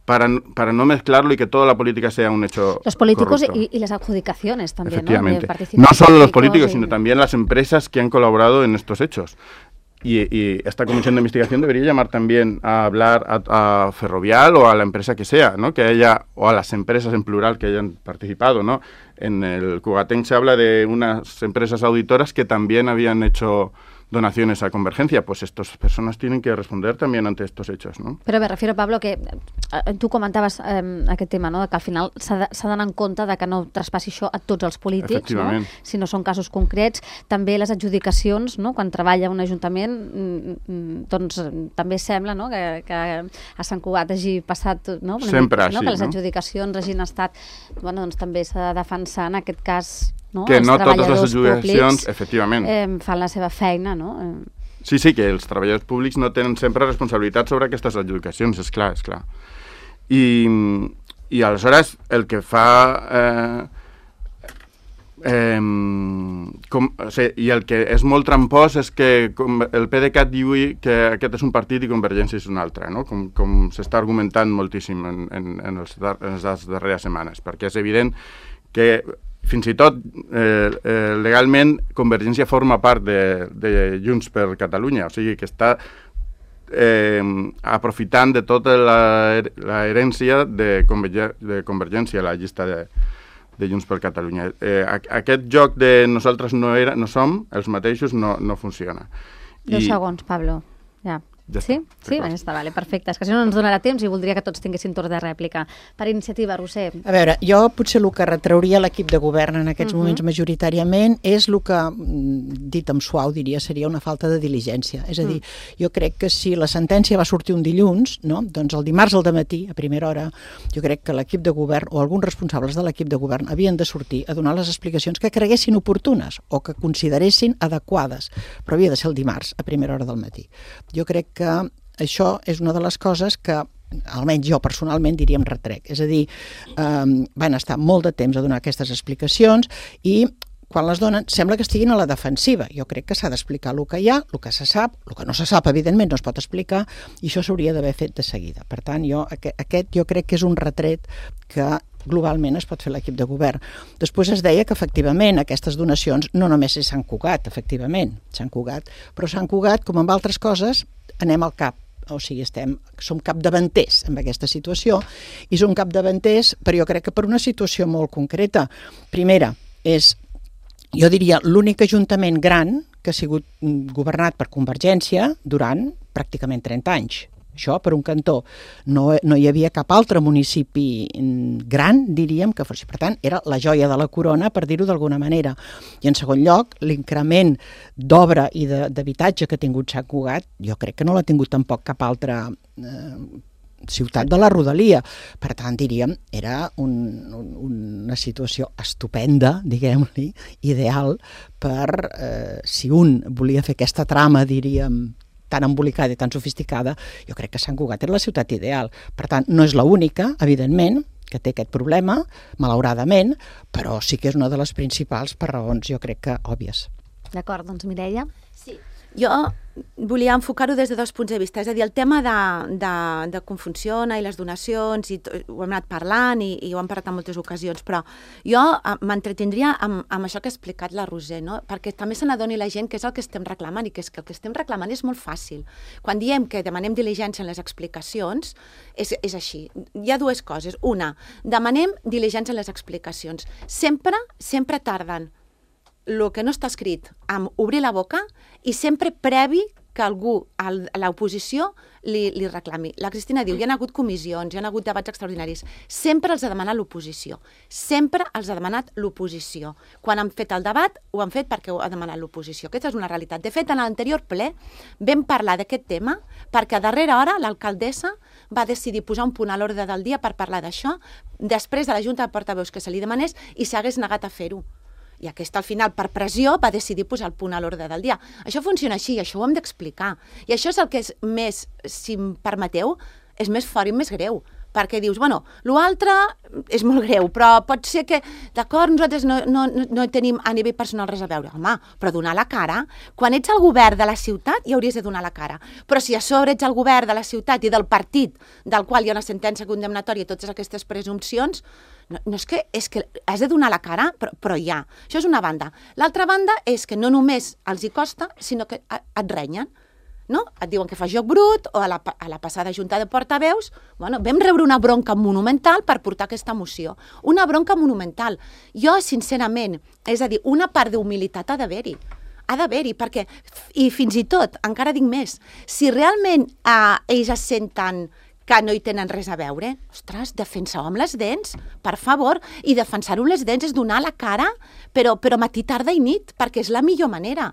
para no mezclarlo y que toda la política sea un hecho los políticos corrupto. Y las adjudicaciones también, efectivamente. ¿no? No solo los políticos, sino también las empresas que han colaborado en estos hechos. Y esta comisión de investigación debería llamar también a hablar a Ferrovial o a la empresa que sea, ¿no? Que haya, o a las empresas en plural que hayan participado, ¿no? En el Cugatenc se habla de unas empresas auditoras que también habían hecho donaciones a Convergencia, pues estas personas tienen que responder también ante estos hechos, ¿no? Però me refiero, Pablo, que tu comentaves aquest tema, no? Que al final s'ha d'anar en compte de que no traspassi això a tots els polítics, no? Si no són casos concrets. També les adjudicacions, no? Quan treballa un ajuntament, doncs també sembla, no? Que a Sant Cugat hagi passat, no? Sempre així, no? Que les adjudicacions hagin estat, bueno, doncs també s'ha de defensar en aquest cas, no? Que Els no totes les públics, adjudicacions, efectivament, fan la seva feina, no? Sí, que els treballadors públics no tenen sempre responsabilitat sobre aquestes adjudicacions, és clar. I aleshores el que fa... i el que és molt trampós és que el PDeCAT diu que aquest és un partit i Convergència és un altre, no? Com s'està argumentant moltíssim en les darreres setmanes, perquè és evident que fins i tot legalment Convergència forma part de Junts per Catalunya, o sigui que està aprofitant de tota la herència de Convergència a la llista de Junts per Catalunya. Aquest joc de nosaltres no som els mateixos no funciona. 2 segons, Pablo. Ja. Sí? Sí, està, vale, perfecte. És que si no ens donarà temps i voldria que tots tinguessin torn de rèplica. Per iniciativa, Roser. A veure, jo potser el que retrauria l'equip de govern en aquests moments majoritàriament és el que, dit amb suau, diria, seria una falta de diligència. És a dir, jo crec que si la sentència va sortir un dilluns, no? Doncs el dimarts al dematí, a primera hora, jo crec que l'equip de govern o alguns responsables de l'equip de govern havien de sortir a donar les explicacions que creguessin oportunes o que consideressin adequades, però havia de ser el dimarts, a primera hora del matí. Jo crec que això és una de les coses que almenys jo personalment diríem retrec. És a dir, van estar molt de temps a donar aquestes explicacions i quan les donen sembla que estiguin a la defensiva. Jo crec que s'ha d'explicar el que hi ha, el que se sap, el que no se sap, evidentment, no es pot explicar, i això s'hauria d'haver fet de seguida. Per tant, aquest jo crec que és un retret que globalment es pot fer l'equip de govern. Després es deia que efectivament aquestes donacions no només és Sant Cugat, efectivament, Sant Cugat, però Sant Cugat, com amb altres coses, anem al cap. O sigui, som capdavanters en aquesta situació i som capdavanters, però jo crec que per una situació molt concreta. Primera, és, jo diria, l'únic ajuntament gran que ha sigut governat per Convergència durant pràcticament 30 anys. Això, per un cantó, no hi havia cap altre municipi gran, diríem, que fos. Per tant, era la joia de la corona, per dir-ho d'alguna manera. I en segon lloc, l'increment d'obra i d'habitatge que ha tingut Sant Cugat, jo crec que no l'ha tingut tampoc cap altra ciutat de la rodalia. Per tant, diríem, era una situació estupenda, diguem-li, ideal per, si un volia fer aquesta trama, diríem, tan embolicada i tan sofisticada, jo crec que Sant Cugat era la ciutat ideal. Per tant, no és l'única, evidentment, que té aquest problema, malauradament, però sí que és una de les principals per raons, jo crec que òbvies. D'acord, doncs Mireia. Sí, jo volia enfocar-ho des de dos punts de vista, és a dir, el tema de com funciona i les donacions, ho hem anat parlant i ho hem parlat en moltes ocasions, però jo m'entretindria amb això que ha explicat la Roser, no? Perquè també se n'adoni la gent que és el que estem reclamant i que és que el que estem reclamant és molt fàcil. Quan diem que demanem diligència en les explicacions, és així. Hi ha dues coses. Una, demanem diligència en les explicacions. Sempre tarden el que no està escrit amb obrir la boca i sempre previ que algú, a l'oposició, li reclami. La Cristina diu, hi ha hagut comissions, hi ha hagut debats extraordinaris. Sempre els ha demanat l'oposició. Sempre els ha demanat l'oposició. Quan han fet el debat, ho han fet perquè ho ha demanat l'oposició. Aquesta és una realitat. De fet, en l'anterior ple vam parlar d'aquest tema perquè a darrera hora l'alcaldessa va decidir posar un punt a l'ordre del dia per parlar d'això, després de la Junta de Portaveus que se li demanés i s'hagués negat a fer-ho. I aquesta, al final, per pressió, va decidir posar el punt a l'ordre del dia. Això funciona així, això ho hem d'explicar. I això és el que és més, si em permeteu, és més fort i més greu. Perquè dius, bueno, l'altre és molt greu, però pot ser que, d'acord, nosaltres no tenim a nivell personal res a veure. Home, però donar la cara, quan ets el govern de la ciutat, ja hauries de donar la cara. Però si a sobre ets el govern de la ciutat i del partit del qual hi ha una sentència condemnatòria i totes aquestes presumpcions, no és que has de donar la cara, però ja. Això és una banda. L'altra banda és que no només els hi costa, sinó que et renyen. No? Et diuen que fa joc brut, o a la passada Junta de Portaveus, bueno, vam rebre una bronca monumental per portar aquesta moció. Una bronca monumental. Jo, sincerament, és a dir, una part d'humilitat ha d'haver-hi. Ha d'haver-hi, perquè, i fins i tot, encara dic més, si realment ells es senten que no hi tenen res a veure, ostres, defenseu amb les dents, per favor, i defensar-ho amb les dents és donar la cara, però matí, tarda i nit, perquè és la millor manera.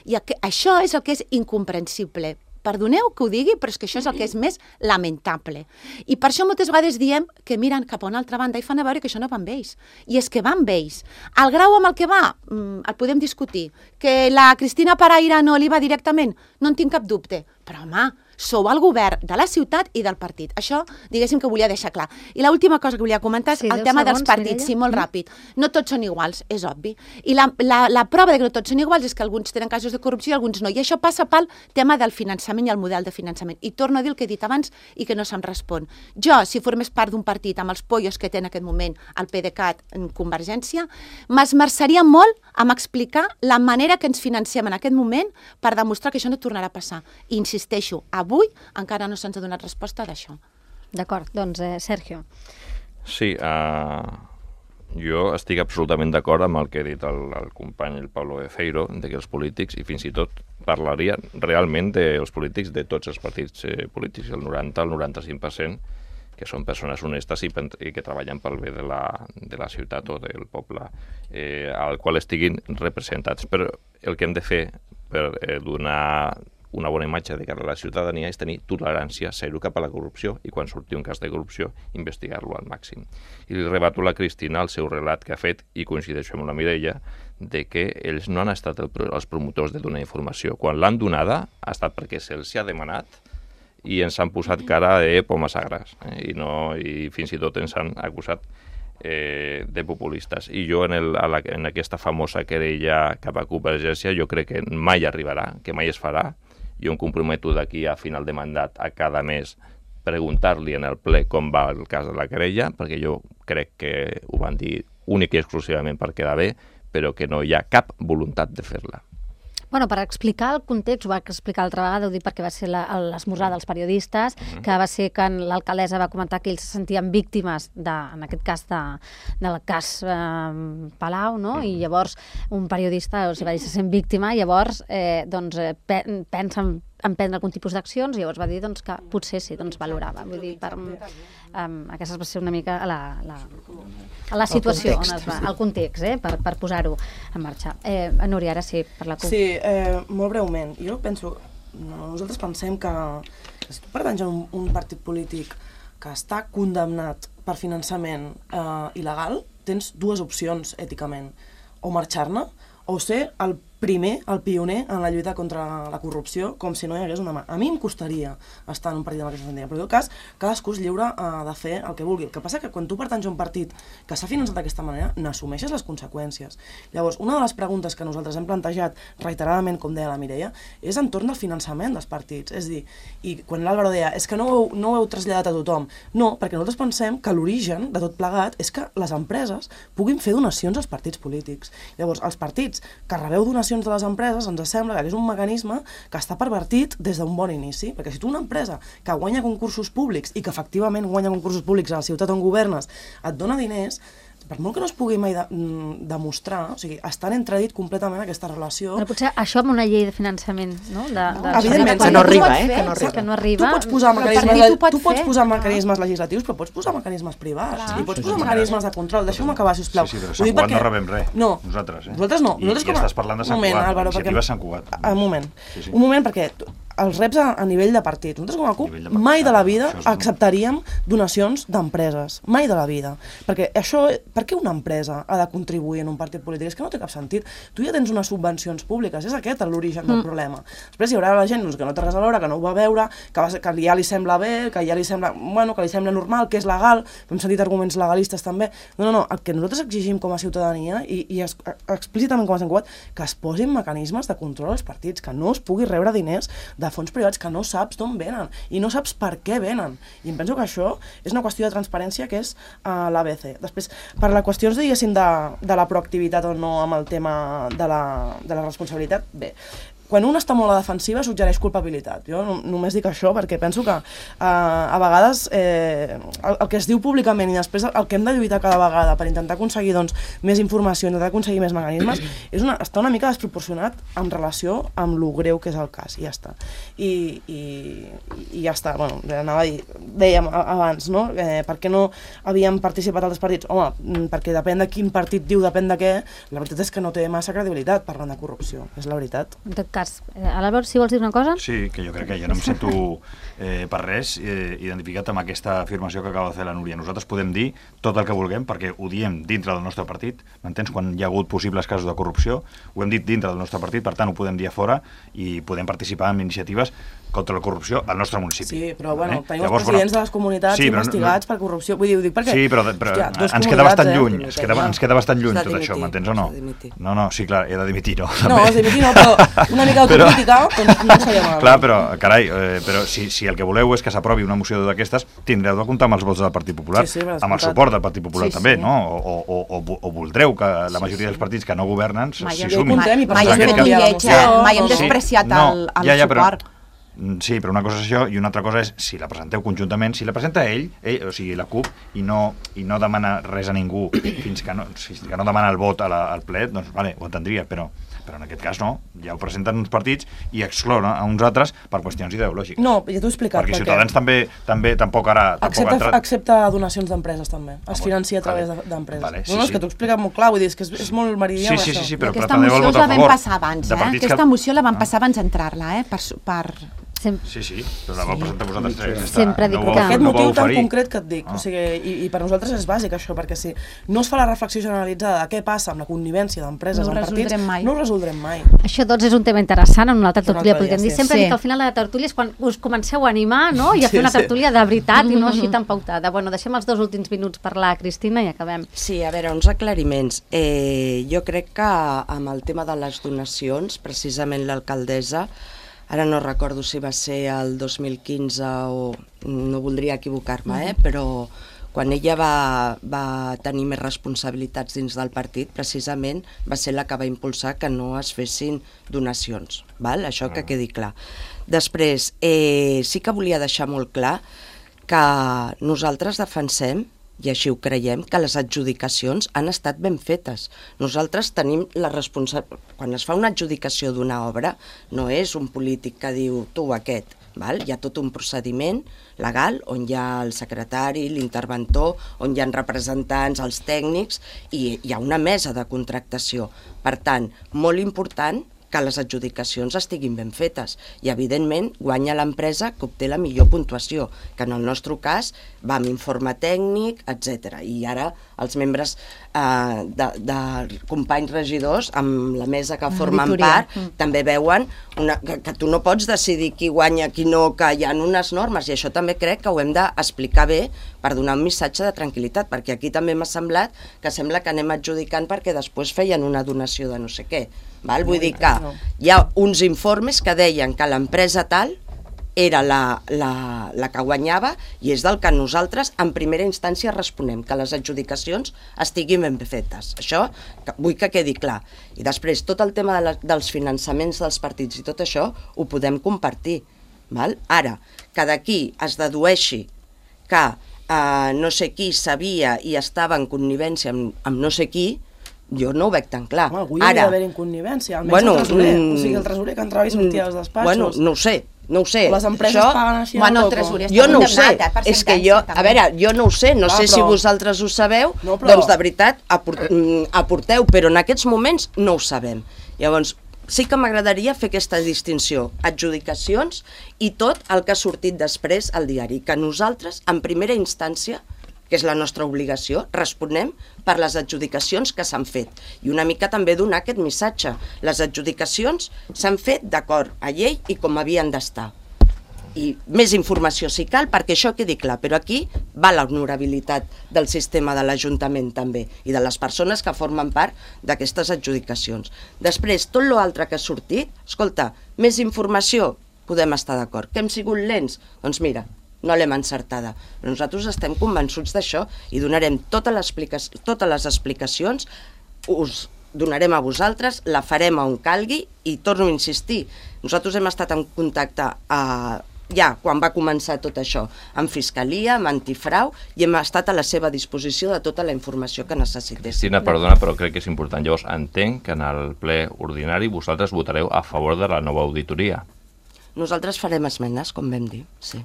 I això és el que és incomprensible. Perdoneu que ho digui, però és que això és el que és més lamentable. I per això moltes vegades diem que miren cap a una altra banda i fan a veure que això no va amb ells. I és que va amb ells. El grau amb el que va, el podem discutir. Que la Cristina Paraire no li va directament, no en tinc cap dubte. Però, home, sou el govern de la ciutat i del partit. Això, diguéssim, que volia deixar clar. I l'última cosa que volia comentar és el tema dels partits. Sí, molt ràpid. No tots són iguals, és obvi. I la prova de que no tots són iguals és que alguns tenen casos de corrupció i alguns no. I això passa pel tema del finançament i el model de finançament. I torno a dir el que he dit abans i que no se'm respon. Jo, si formés part d'un partit amb els pollos que té en aquest moment el PDeCAT en Convergència, m'esmerçaria molt en explicar la manera que ens financem en aquest moment per demostrar que això no tornarà a passar. I insisteixo, avui encara no se'ns ha donat resposta d'això. D'acord, doncs Sergio. Sí, Jo estic absolutament d'acord amb el que ha dit el company, el Pablo Efeiro, de que els polítics, i fins i tot parlaria realment dels polítics de tots els partits polítics, el 90, el 95%, que són persones honestes i que treballen pel bé de la ciutat o del poble al qual estiguin representats. Però el que hem de fer per donar una bona imatge de cara a la ciutadania és tenir tolerància zero cap a la corrupció i quan surti un cas de corrupció investigar-lo al màxim. I li rebato a la Cristina el seu relat que ha fet, i coincideixo amb la Mireia, de que ells no han estat els promotors de donar informació. Quan l'han donada ha estat perquè se'ls ha demanat i ens han posat cara de pomes agres i fins i tot ens han acusat de populistes. I jo en aquesta famosa querella cap a Convergència jo crec que mai arribarà, que mai es farà. Jo em comprometo d'aquí a final de mandat a cada mes preguntar-li en el ple com va el cas de la querella, perquè jo crec que ho van dir únic i exclusivament per quedar bé, però que no hi ha cap voluntat de fer-la. Bueno, per explicar el context, ho va explicar l'altra vegada, ho dic perquè va ser l'esmorzar dels periodistes, que va ser que l'alcaldessa va comentar que ells se sentien víctimes, en aquest cas, del cas Palau, no? I llavors un periodista els va dir se sent víctima, i llavors pensa en prendre algun tipus d'accions, i llavors va dir que potser sí, valorava. Vull dir, aquesta va ser una mica la situació, el context, per posar-ho en marxa. Núria, ara sí, per la CUP. Sí, molt breument. Jo penso, nosaltres pensem que si tu pertanys a un partit polític que està condemnat per finançament il·legal, tens dues opcions èticament. O marxar-ne, o ser el primer, el pioner en la lluita contra la corrupció, com si no hi hagués una mà. A mi em costaria estar en un partit amb aquesta sentia, però en tot cas, cadascú és lliure de fer el que vulgui. El que passa és que quan tu pertanys a un partit que s'ha finançat d'aquesta manera, n'assumeixes les conseqüències. Llavors, una de les preguntes que nosaltres hem plantejat reiteradament, com deia la Mireia, és entorn del finançament dels partits. És a dir, i quan l'Àlvaro deia, és que no ho heu traslladat a tothom. No, perquè nosaltres pensem que l'origen de tot plegat és que les empreses puguin fer donacions als partits polítics. Llavors, els partits que rebeu donacions de les empreses, ens sembla que és un mecanisme que està pervertit des d'un bon inici, perquè si tu una empresa que guanya concursos públics i que efectivament guanya concursos públics a la ciutat on governes et dona diners, per molt que no es pugui mai demostrar, o sigui, està en entredit completament aquesta relació. Però potser això amb una llei de finançament, no? Evidentment, que no arriba, que no arriba. Tu pots posar mecanismes legislatius, però pots posar mecanismes privats, i pots posar mecanismes de control. Deixeu-me acabar, sisplau. Sí, però Sant Cugat no rebem res, nosaltres. Nosaltres no. I estàs parlant de Sant Cugat, iniciativa Sant Cugat. Un moment, perquè els reps a nivell de partit. Nosaltres com a CUP mai de la vida acceptaríem donacions d'empreses. Mai de la vida. Perquè per què una empresa ha de contribuir en un partit polític? És que no té cap sentit. Tu ja tens unes subvencions públiques, és aquest l'origen del problema. Després hi haurà la gent que no té res a veure, que no ho va veure, que ja li sembla bé, que ja li sembla, que li sembla normal, que és legal, hem sentit arguments legalistes també. No, el que nosaltres exigim com a ciutadania, i explícitament com a Sant Cugat, que es posin mecanismes de control als partits, que no es pugui rebre diners de fons privats que no saps d'on venen i no saps per què venen. I em penso que això és una qüestió de transparència que és l'ABC. Després, per la qüestió, diguéssim, de la proactivitat o no amb el tema de la responsabilitat, bé, quan un està molt a la defensiva suggereix culpabilitat. Jo només dic això perquè penso que a vegades el que es diu públicament i després el que hem de lluitar cada vegada per intentar aconseguir més informació, intentar aconseguir més mecanismes, està una mica desproporcionat en relació amb lo greu que és el cas, i ja està. I ja està, bueno, dèiem abans, no? Per què no havíem participat altres partits? Home, perquè depèn de quin partit diu depèn de què, la veritat és que no té massa credibilitat parlant de corrupció, és la veritat. En tot cas, Álvaro, si vols dir una cosa? Sí, que jo crec que jo no em sento per res identificat amb aquesta afirmació que acaba de fer la Núria. Nosaltres podem dir tot el que vulguem perquè ho diem dintre del nostre partit, m'entens? Quan hi ha hagut possibles casos de corrupció, ho hem dit dintre del nostre partit, per tant ho podem dir a fora i podem participar en iniciatives contra la corrupció al nostre municipi. Sí, però bueno, tenim els presidents de les comunitats investigats per corrupció. Vull dir, ho dic perquè... Sí, però ens queda bastant lluny, ens queda bastant lluny tot això, m'entens o no? No, sí, clar, he de dimitir, no? No, has de dimitir, no, però una mica d'autocrítica, doncs no seria mal. Clar, però, carai, però si el que voleu és que s'aprovi una moció d'aquestes, tindreu de comptar amb els vots del Partit Popular, amb el suport del Partit Popular també, no? O voldreu que la majoria dels partits que no governen s'hi sumin. Mai hem fet un lleig, mai hem despreciat el suport. Sí, però una cosa és això i una altra cosa és si la presenteu conjuntament, si la presenta ell, o sigui, la CUP, i no demana res a ningú fins que no demana el vot al ple, doncs vale, ho entendria, però en aquest cas no, ja ho presenten uns partits i exclouen a uns altres per qüestions ideològiques. No, ja t'ho he explicat. Perquè Ciutadans també tampoc ara... Accepta donacions d'empreses també, es financia a través d'empreses. Vale, no, és que t'ho he explicat molt clar, vull dir, és que és molt meridià això. Sí, però aquesta moció la vam passar abans, Aquesta moció la vam passar abans d'entrar-la, per... Sí, però la vau presentar vosaltres. Sempre dic que... Aquest motiu tan concret que et dic, o sigui, i per nosaltres és bàsic això, perquè si no es fa la reflexió generalitzada de què passa amb la connivència d'empreses en partits, no ho resoldrem mai. Això doncs és un tema interessant, en una altra tertúlia podríem dir. Sempre dic que al final de la tertúlia és quan us comenceu a animar, no?, i a fer una tertúlia de veritat i no així tan pautada. Bueno, deixem els 2 últims minuts parlar, Cristina, i acabem. Sí, a veure, uns aclariments. Jo crec que amb el tema de les donacions, precisament l'alcaldessa, ara no recordo si va ser el 2015 o no voldria equivocar-me, però quan ella va tenir més responsabilitats dins del partit, precisament va ser la que va impulsar que no es fessin donacions, val? Això que quedi clar. Després, sí que volia deixar molt clar que nosaltres defensem, i així ho creiem, que les adjudicacions han estat ben fetes. Nosaltres tenim la responsabilitat... Quan es fa una adjudicació d'una obra, no és un polític que diu tu aquest, val? Hi ha tot un procediment legal on hi ha el secretari, l'interventor, on hi ha representants, els tècnics, i hi ha una mesa de contractació. Per tant, molt important que les adjudicacions estiguin ben fetes i, evidentment, guanya l'empresa que obté la millor puntuació, que en el nostre cas va amb informe tècnic, etc. I ara els membres de companys regidors, amb la mesa que formen part, també veuen que tu no pots decidir qui guanya, qui no, que hi ha unes normes, i això també crec que ho hem d'explicar bé per donar un missatge de tranquil·litat, perquè aquí també m'ha semblat que sembla que anem adjudicant perquè després feien una donació de no sé què. Val? Vull dir que hi ha uns informes que deien que l'empresa tal era la que guanyava i és del que nosaltres en primera instància responem, que les adjudicacions estiguin ben fetes. Això vull que quedi clar. I després tot el tema dels finançaments dels partits i tot això ho podem compartir. Val? Ara, que d'aquí es dedueixi que no sé qui sabia i estava en connivència amb no sé qui, jo no ho veig tan clar. Home, avui hi havia d'haver connivència, almenys el tresorer. O sigui, el tresorer que entrava i sortia als despatxos. Bueno, no ho sé. Les empreses paguen així bueno, el tresorer jo no ho sé, és que jo, a veure, jo no ho sé, no sé si vosaltres ho sabeu, doncs de veritat aporteu, però en aquests moments no ho sabem. Llavors, sí que m'agradaria fer aquesta distinció, adjudicacions i tot el que ha sortit després al diari, que nosaltres, en primera instància, que és la nostra obligació, responem per les adjudicacions que s'han fet. I una mica també donar aquest missatge. Les adjudicacions s'han fet d'acord a llei i com havien d'estar. I més informació si cal, perquè això quedi clar, però aquí va l'honorabilitat del sistema de l'Ajuntament també i de les persones que formen part d'aquestes adjudicacions. Després, tot l'altre que ha sortit, escolta, més informació, podem estar d'acord. Que hem sigut lents? Doncs mira, no l'hem encertada. Però nosaltres estem convençuts d'això i donarem totes les explicacions, us donarem a vosaltres, la farem on calgui i torno a insistir. Nosaltres hem estat en contacte ja quan va començar tot això, amb Fiscalia, amb Antifrau, i hem estat a la seva disposició de tota la informació que necessités. Cristina, perdona, però crec que és important. Llavors, entenc que en el ple ordinari vosaltres votareu a favor de la nova auditoria. Nosaltres farem esmenes, com vam dir, sí.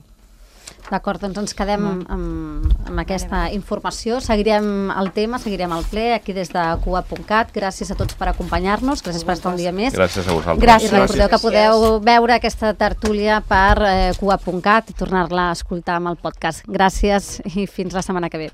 D'acord, doncs ens quedem amb aquesta informació. Seguirem el tema, seguirem el ple aquí des de Cugat.cat. Gràcies a tots per acompanyar-nos, gràcies per estar un dia més. Gràcies a vosaltres. Gràcies. I recordeu que podeu veure aquesta tertúlia per Cugat.cat i tornar-la a escoltar amb el podcast. Gràcies i fins la setmana que ve.